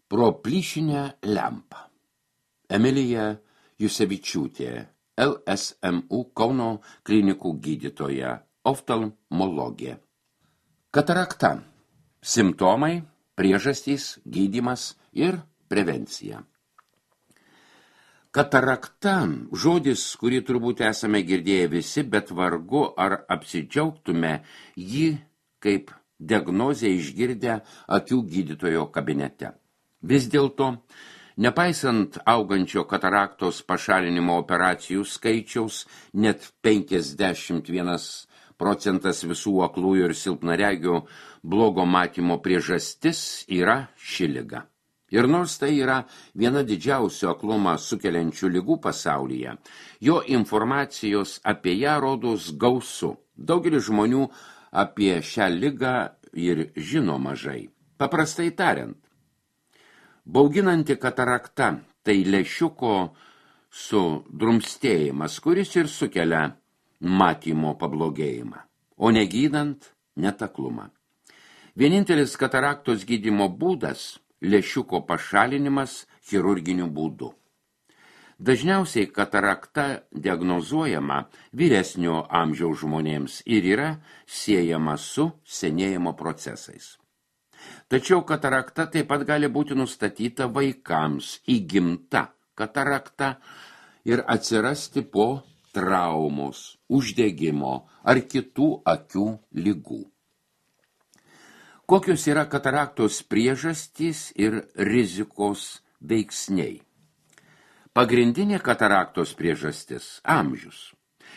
Pro plyšinę lempą. Emilija Jusevičiūtė, LSMU Kauno klinikų gydytoja, oftalmologė. Katarakta. Simptomai, priežastys, gydymas ir prevencija. Katarakta – žodis, kurį turbūt esame girdėję visi, bet vargu ar apsidžiaugtume jį kaip diagnozę išgirdę akių gydytojo kabinete. Vis dėlto, nepaisant augančio kataraktos pašalinimo operacijų skaičiaus, net 51% visų aklųjų ir silpnaregių blogo matymo priežastis yra ši liga. Ir nors tai yra viena didžiausių aklumą sukeliančių ligų pasaulyje, jo informacijos apie ją rodos gausu. Daugelis žmonių apie šią ligą ir žino mažai. Paprastai tariant, bauginanti katarakta tai lęšiuko sudrumstėjimas, kuris ir sukelia matymo pablogėjimą, o negydant netaklumą. Vienintelis kataraktos gydymo būdas – lęšiuko pašalinimas chirurginiu būdu. Dažniausiai katarakta diagnozuojama vyresnio amžiaus žmonėms ir yra siejama su senėjimo procesais. Tačiau katarakta taip pat gali būti nustatyta vaikams, įgimta katarakta ir atsirasti po traumos, uždegimo ar kitų akių ligų. Kokios yra kataraktos priežastys ir rizikos veiksniai? Pagrindinė kataraktos priežastis – amžius.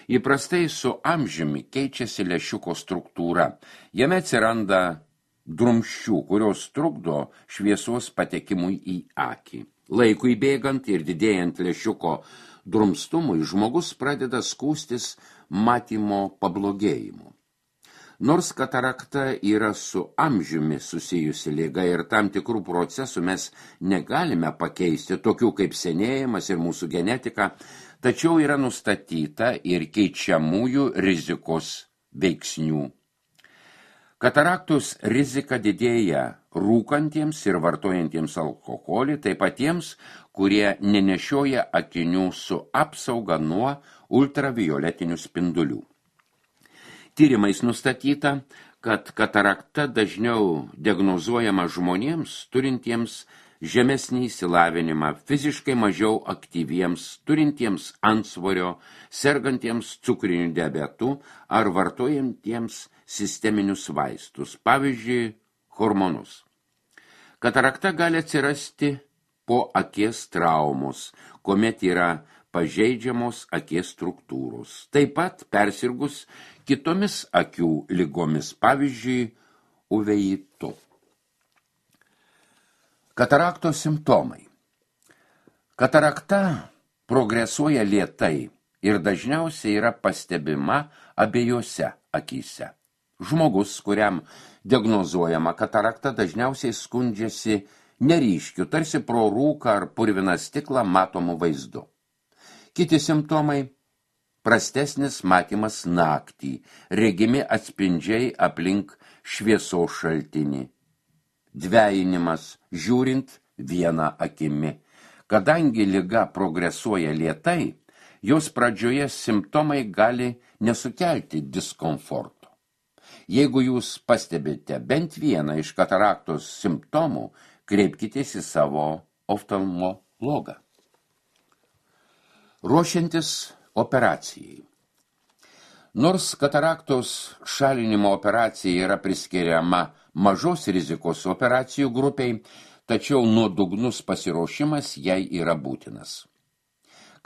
Įprastai su amžiumi keičiasi lęšiuko struktūra. Jame atsiranda drumsčių, kurios trukdo šviesos patekimui į akį. Laikui bėgant ir didėjant lęšiuko drumstumui, žmogus pradeda skųstis matymo pablogėjimu. Nors katarakta yra su amžiumi susijusi liga ir tam tikrų procesų mes negalime pakeisti, tokių kaip senėjimas ir mūsų genetika, tačiau yra nustatyta ir keičiamųjų rizikos veiksnių. Kataraktos rizika didėja rūkantiems ir vartojantiems alkoholį, taip pat tiems, kurie nenešioja akinių su apsauga nuo ultravioletinių spindulių. Tyrimais nustatyta, kad katarakta dažniau diagnozuojama žmonėms, turintiems žemesnį išsilavinimą, fiziškai mažiau aktyviems, turintiems antsvorio, sergantiems cukriniu diabetu ar vartojantiems sisteminius vaistus, pavyzdžiui, hormonus. Katarakta gali atsirasti po akies traumos, kuomet yra pažeidžiamos akies struktūros. Taip pat persirgus kitomis akių ligomis, pavyzdžiui, uveitu. Kataraktos simptomai. Katarakta progresuoja lėtai ir dažniausiai yra pastebima abiejose akyse. Žmogus, kuriam diagnozuojama katarakta, dažniausiai skundžiasi neryškiu, tarsi pro rūką ar purviną stiklą matomų vaizdu. Kiti simptomai – prastesnis matymas naktį, regimi atspindžiai aplink šviesos šaltinį, dvejinimas, žiūrint vieną akimi. Kadangi liga progresuoja lėtai, jos pradžioje simptomai gali nesukelti diskomforto. Jeigu jūs pastebite bent vieną iš kataraktos simptomų, kreipkitės į savo oftalmologą. Ruošiantis operacijai. Nors kataraktos šalinimo operacija yra priskiriama mažos rizikos operacijų grupiai, tačiau nuodugnus pasiruošimas jai yra būtinas.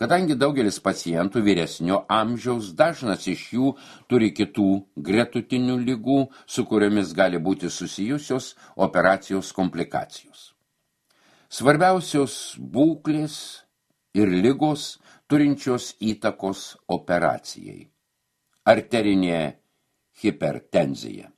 Kadangi daugelis pacientų vyresnio amžiaus, dažnas iš jų turi kitų gretutinių ligų, su kuriomis gali būti susijusios operacijos komplikacijos. Svarbiausios būklės ir ligos turinčios įtakos operacijai. Arterinė hipertenzija.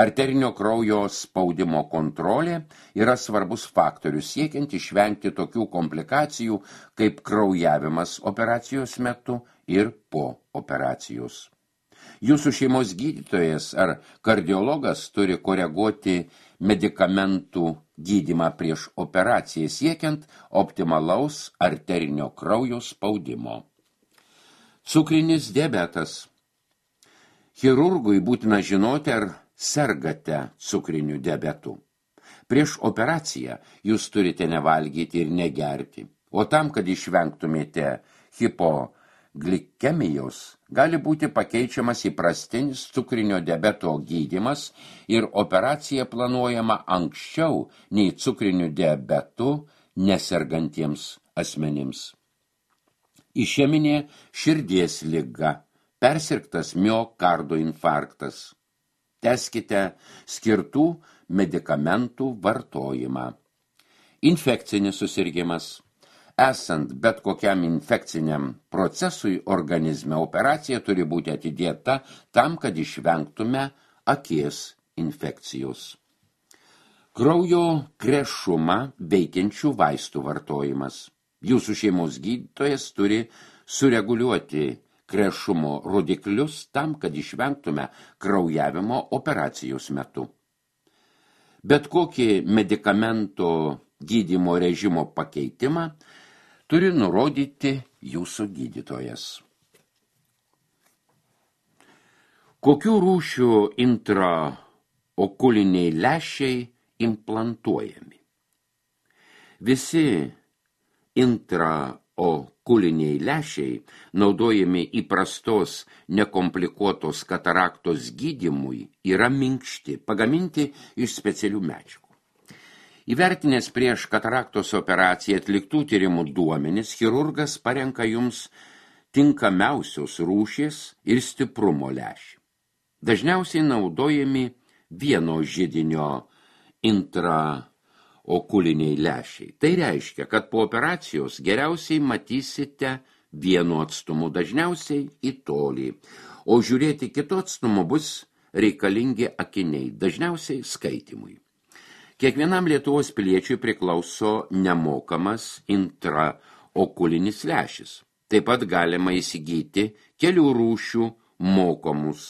Arterinio kraujo spaudimo kontrolė yra svarbus faktorius siekiant išvengti tokių komplikacijų kaip kraujavimas operacijos metu ir po operacijos. Jūsų šeimos gydytojas ar kardiologas turi koreguoti medikamentų gydymą prieš operaciją siekiant optimalaus arterinio kraujo spaudimo. Cukrinis diabetas. Chirurgui būtina žinoti, ar sergate cukriniu diabetu. Prieš operaciją jūs turite nevalgyti ir negerti, o tam, kad išvengtumėte hipoglikemijos, gali būti pakeičiamas įprastinis cukrinio diabeto gydymas ir operacija planuojama anksčiau nei cukriniu diabetu nesergantiems asmenims. Išeminė širdies liga, persirgtas miokardo infarktas. Tęskite skirtų medikamentų vartojimą. Infekcinis susirgimas. Esant bet kokiam infekciniam procesui organizme, operacija turi būti atidėta tam, kad išvengtume akies infekcijos. Kraujo krešumą veikiančių vaistų vartojimas. Jūsų šeimos gydytojas turi sureguliuoti krešumo rodiklius tam, kad išvengtume kraujavimo operacijos metu. Bet kokį medikamento gydymo režimo pakeitimą turi nurodyti jūsų gydytojas. Kokių rūšių intraokuliniai lęšiai implantuojami? Visi intraokuliniai lęšiai naudojami įprastos nekomplikuotos kataraktos gydymui yra minkšti, pagaminti iš specialių medžiagų. Įvertinęs prieš kataraktos operaciją atliktų tyrimų duomenis, chirurgas parenka jums tinkamiausios rūšies ir stiprumo lęšį. Dažniausiai naudojami vieno židinio intraokuliniai lęšiai. Tai reiškia, kad po operacijos geriausiai matysite vienu atstumu, dažniausiai į tolį, o žiūrėti kitu atstumu bus reikalingi akiniai, dažniausiai skaitymui. Kiekvienam Lietuvos piliečiui priklauso nemokamas intraokulinis lęšis. Taip pat galima įsigyti kelių rūšių mokamus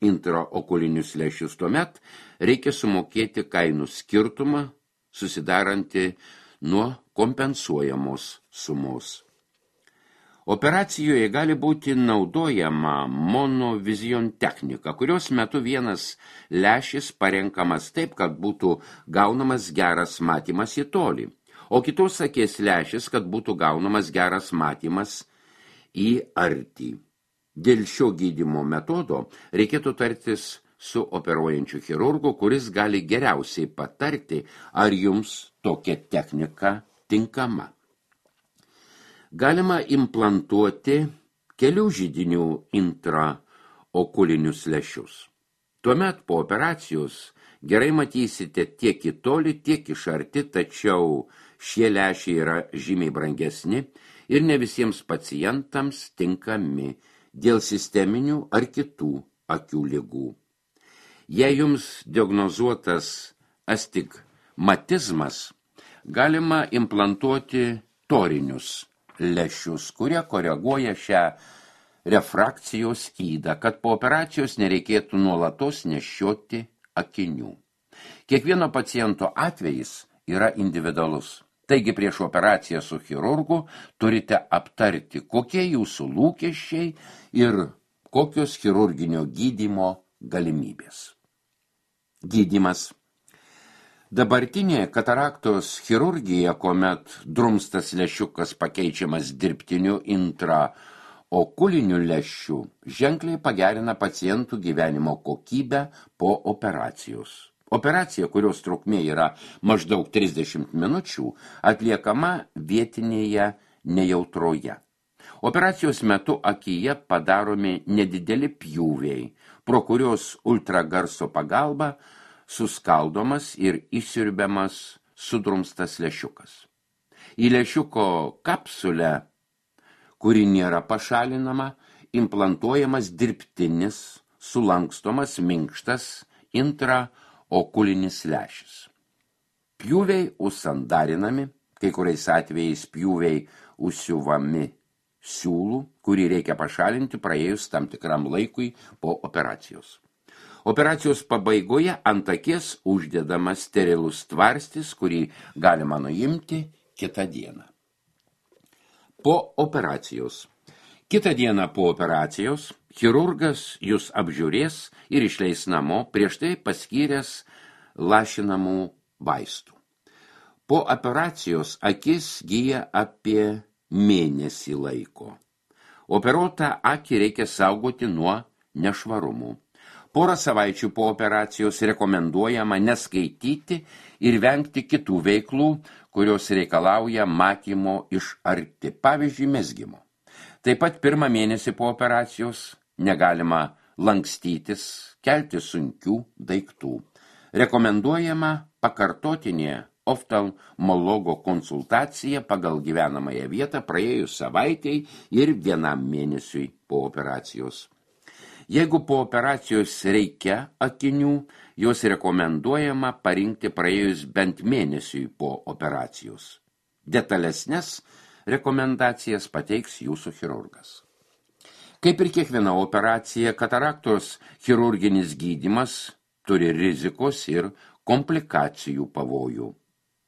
intraokulinius lęšius. Tuomet reikia sumokėti kainų skirtumą, susidarantį nuo kompensuojamos sumos. Operacijoje gali būti naudojama monovizion technika, kurios metu vienas lęšis parenkamas taip, kad būtų gaunamas geras matymas į tolį, o kitos akies lęšis, kad būtų gaunamas geras matymas į artį. Dėl šio gydymo metodo reikėtų tartis su operuojančiu chirurgu, kuris gali geriausiai patarti, ar jums tokia technika tinkama. Galima implantuoti kelių židinių intraokulinius lęšius. Tuomet po operacijos gerai matysite tiek į tolį, tiek iš arti, tačiau šie lęšiai yra žymiai brangesni ir ne visiems pacientams tinkami dėl sisteminių ar kitų akių ligų. Jei jums diagnozuotas astigmatizmas, galima implantuoti torinius lęšius, kurie koreguoja šią refrakcijos ydą, kad po operacijos nereikėtų nuolatos nešioti akinių. Kiekvieno paciento atvejis yra individualus. Taigi prieš operaciją su chirurgu turite aptarti, kokie jūsų lūkesčiai ir kokios chirurginio gydymo galimybės. Gydymas. Dabartinė kataraktos chirurgija, kuomet drumstas lęšiukas pakeičiamas dirbtiniu intraokuliniu lęšiu, ženkliai pagerina pacientų gyvenimo kokybę po operacijos. Operacija, kurios trukmė yra maždaug 30 minučių, atliekama vietinėje nejautroje. Operacijos metu akyje padaromi nedideli pjūviai, pro kurios ultragarso pagalba suskaldomas ir išsiurbiamas sudrumstas lęšiukas. Į lęšiuko kapsulę, kuri nėra pašalinama, implantuojamas dirbtinis, sulankstomas, minkštas intraokulinis lęšis. Pjūviai užsandarinami, kai kuriais atvejais pjūviai užsiuvami siūlų, kurį reikia pašalinti praėjus tam tikram laikui po operacijos. Operacijos pabaigoje ant akies uždedamas sterilus tvarstis, kurį galima nuimti kitą dieną. Po operacijos. Kitą dieną po operacijos chirurgas jūs apžiūrės ir išleis namo prieš tai paskyręs lašinamų vaistų. Po operacijos akis gyja apie mėnesį laiko. Operuotą akį reikia saugoti nuo nešvarumų. Porą savaičių po operacijos rekomenduojama neskaityti ir vengti kitų veiklų, kurios reikalauja matymo iš arti, pavyzdžiui, mezgimo. Taip pat pirmą mėnesį po operacijos negalima lankstytis, kelti sunkių daiktų. Rekomenduojama pakartotinė oftalmologo konsultacija pagal gyvenamąją vietą praėjus savaitei ir vienam mėnesiui po operacijos. Jeigu po operacijos reikia akinių, jos rekomenduojama parinkti praėjus bent mėnesiui po operacijos. Detalesnes rekomendacijas pateiks jūsų chirurgas. Kaip ir kiekviena operacija, kataraktos chirurginis gydymas turi rizikos ir komplikacijų pavojų.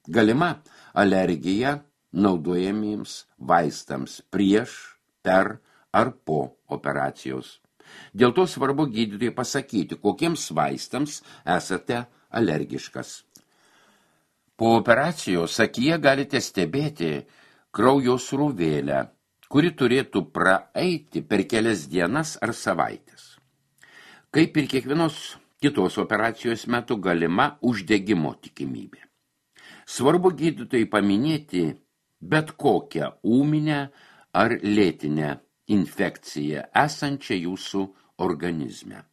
Galima alergija naudojamiems vaistams prieš, per ar po operacijos. Dėl to svarbu gydytojui pasakyti, kokiems vaistams esate alergiškas. Po operacijos akyje galite stebėti kraujo srūvėlę, kuri turėtų praeiti per kelias dienas ar savaitės. Kaip ir kiekvienos kitos operacijos metu galima uždegimo tikimybė. Svarbu gydytojai paminėti bet kokią ūminę ar lėtinę infekciją esančią jūsų organizme.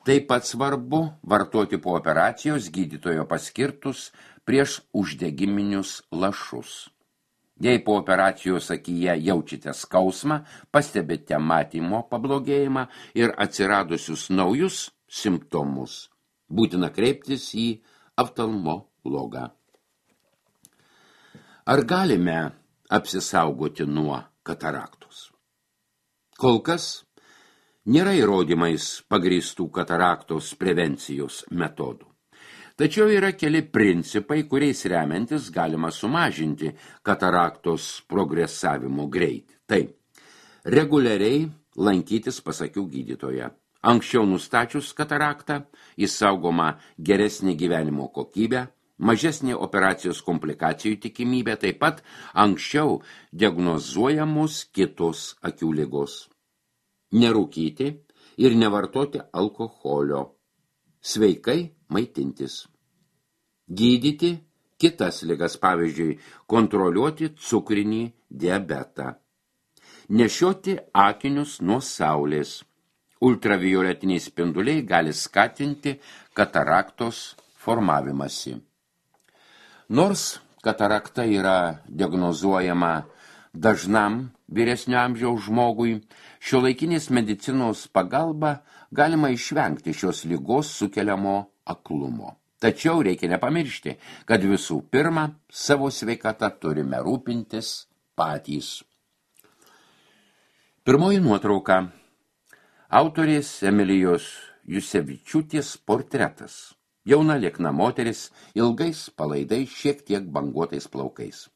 Taip pat svarbu vartoti po operacijos gydytojo paskirtus prieš uždegiminius lašus. Jei po operacijos akyje jaučiate skausmą, pastebite matymo pablogėjimą ir atsiradusius naujus simptomus, būtina kreiptis į oftalmologą. Ar galime apsisaugoti nuo kataraktos? Kol kas nėra įrodymais pagrįstų kataraktos prevencijos metodų. Tačiau yra keli principai, kuriais remiantis galima sumažinti kataraktos progresavimo greitį. Tai reguliariai lankytis pas akių gydytoją. Anksčiau nustačius kataraktą, išsaugoma geresnė gyvenimo kokybė, mažesnė operacijos komplikacijų tikimybė, taip pat anksčiau diagnozuojamos kitos akių ligos. Nerūkyti ir nevartoti alkoholio. Sveikai maitintis. Gydyti kitas ligas, pavyzdžiui, kontroliuoti cukrinį diabetą. Nešioti akinius nuo saulės. Ultravioletiniai spinduliai gali skatinti kataraktos formavimąsi. Nors katarakta yra diagnozuojama dažnam vyresnio amžiaus žmogui, šiuolaikinės medicinos pagalba galima išvengti šios ligos sukeliamo aklumo. Tačiau reikia nepamiršti, kad visų pirma savo sveikatą turime rūpintis patys. Pirmoji nuotrauka. Autorės Emilijos Jusevičiūtės portretas. Jauna liekna moteris, ilgais palaidais, šiek tiek banguotais plaukais.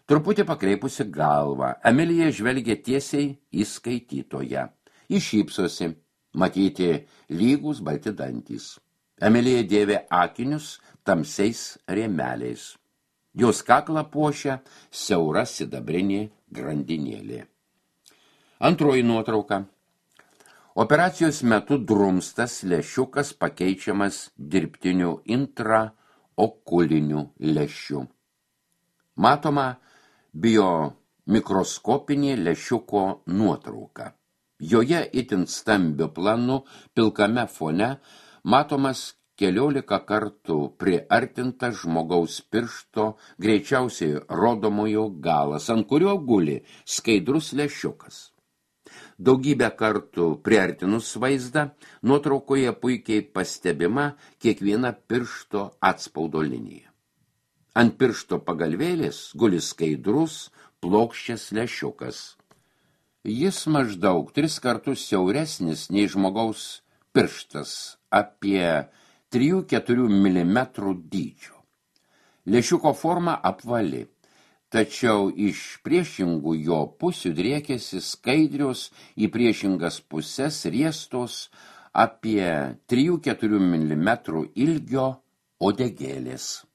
Truputį pakreipusi galvą, Emilija žvelgia tiesiai į skaitytoją. Ji šypsosi, matyti lygus balti dantys. Emilija dėvė akinius tamsiais rėmeliais. Jos kaklą puošia siaura sidabrinė grandinėlė. Antroji nuotrauka. Operacijos metu drumstas lęšiukas pakeičiamas dirbtiniu intraokuliniu lęšiu. Matoma biomikroskopinė lęšiuko nuotrauka. Joje itin stambiu planu pilkame fone matomas 14 kartų priartintas žmogaus piršto, greičiausiai rodomojo galas, ant kurio guli skaidrus lęšiukas. Daugybę kartų priartinus vaizdą, nuotraukoje puikiai pastebima kiekviena piršto atspaudo linija. Ant piršto pagalvėlės guli skaidrus, plokščias lęšiukas. Jis maždaug 3 kartus siauresnis nei žmogaus pirštas apie 3-4 mm dydžio. Lęšiuko forma apvali, tačiau iš priešingų jo pusių driekėsi skaidrios į priešingas puses riestos apie 3-4 mm ilgio uodegėlės.